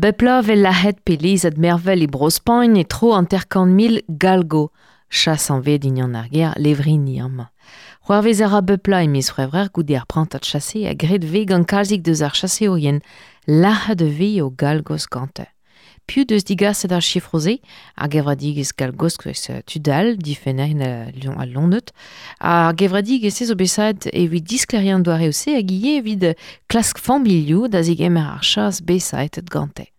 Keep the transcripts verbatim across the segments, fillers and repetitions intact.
Bepla vel lahet pe lezad mervel e Bro-Spagn e tro hanter-kant mil galgo. Chas an ved ignan ar ger levrini amañ. C'hoarvez a ra bepla e miz c'hwevrer goude ar prantad chase a gred ve gant kalzik deus ar chaseourien lac'het ve o galgos gante. Piv deus digaset ar chifroze, ar gevredigezh galgosk eus tudal, difenner a Lonneut, ar gevredigezh zo bet evit disklerian doare ose hag ivez evit klask familhoù da zegemer ar chas besaetet gante.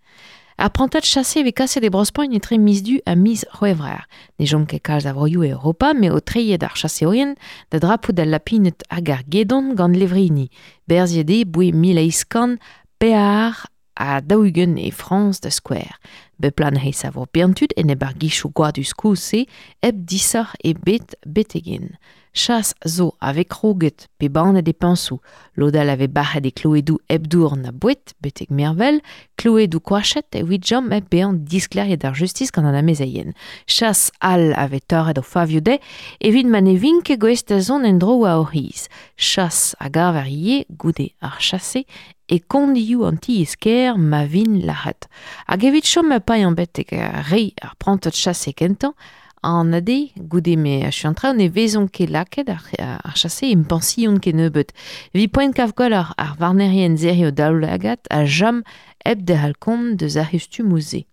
Ar prantad chase vez kaset e Bro-Spagn etre miz du ha miz c'hwevrer. Ne chom ket kalz a vroioù e Europa, met o treiet ar chaseourien da drapout al lapinet hag ar gedon gant levrini. Berziet eo boe mil eizh kant pear a daou-ugent e Frañs da skouer. Beplan he savo biantud en eb ar gichoù gwadus koulz-se hep disoc'h ebet betegen. Chas zo ave kroget pe bannet e piñsoù. Lodal ave bac'het e kloedoù hep dour na boued betek mervel, kloedoù koachet evit jom hep bezañ diskleriet ar justis gant an amezeien. Chas all ave torret o favioù dezhe evit ma ne vint ket gouest da zont en-dro war o c'hiz. Chas a gaver ivez goude ar chase e kondioù an tiez-kêr ma vin lac'het. Hag evit chom ma paeañ betek re ar prantad chase kentañ, an ade, goude me achu an traoù, ne vezont ket lakaet ar, ar chase em pension ket nebeut. Vi poent kav gwell ar, ar varnerien zeri o daoulagad a jam hep derc'hel kont deus ar c'hustumoù se.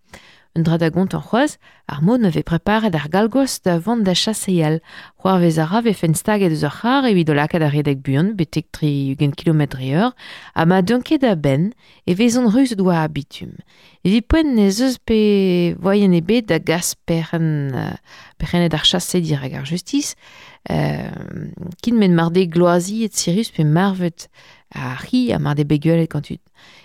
Un dra da gontañ c'hoazh, ar mod ne vez preparet ar galgos da vont da chaseal. C'hoarvez a ra vefen staget eus ar c'har evit o lakaat ar redek buan, betek tri-ugent kilometr dre eur, ha ma deunt ket da benn e vezont ruzet war ar bitum. Evit poent n'ez eus pe voaien ebet da gas perc'henn, perc'hennet ar chase dirak ar justis, euh, kin men mar de gloazi et sirus pe marvet ar c'hi ha mar de bet gant tud.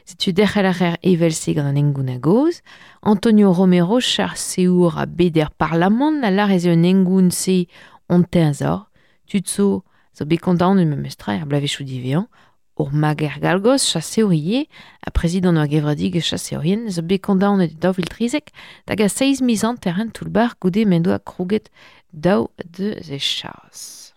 Setu derc'hel a rer evel-se gant an engoun a-gozh. Antonio Romero, chaseour a beder parlamant, a lar ez eo un engoun-se on teñzor. Tud zo zo bet kondaonet memes tra er bloavezhioù diwezhañ. Ur mager galgos, chaseour ivez, ha prezidant ur gevredigezh chaseourien, zo bet kondaonet e daou vil trizek da gas seizh miz hanter en toull-bac'h goude m'en doa krouget daou deus e chas.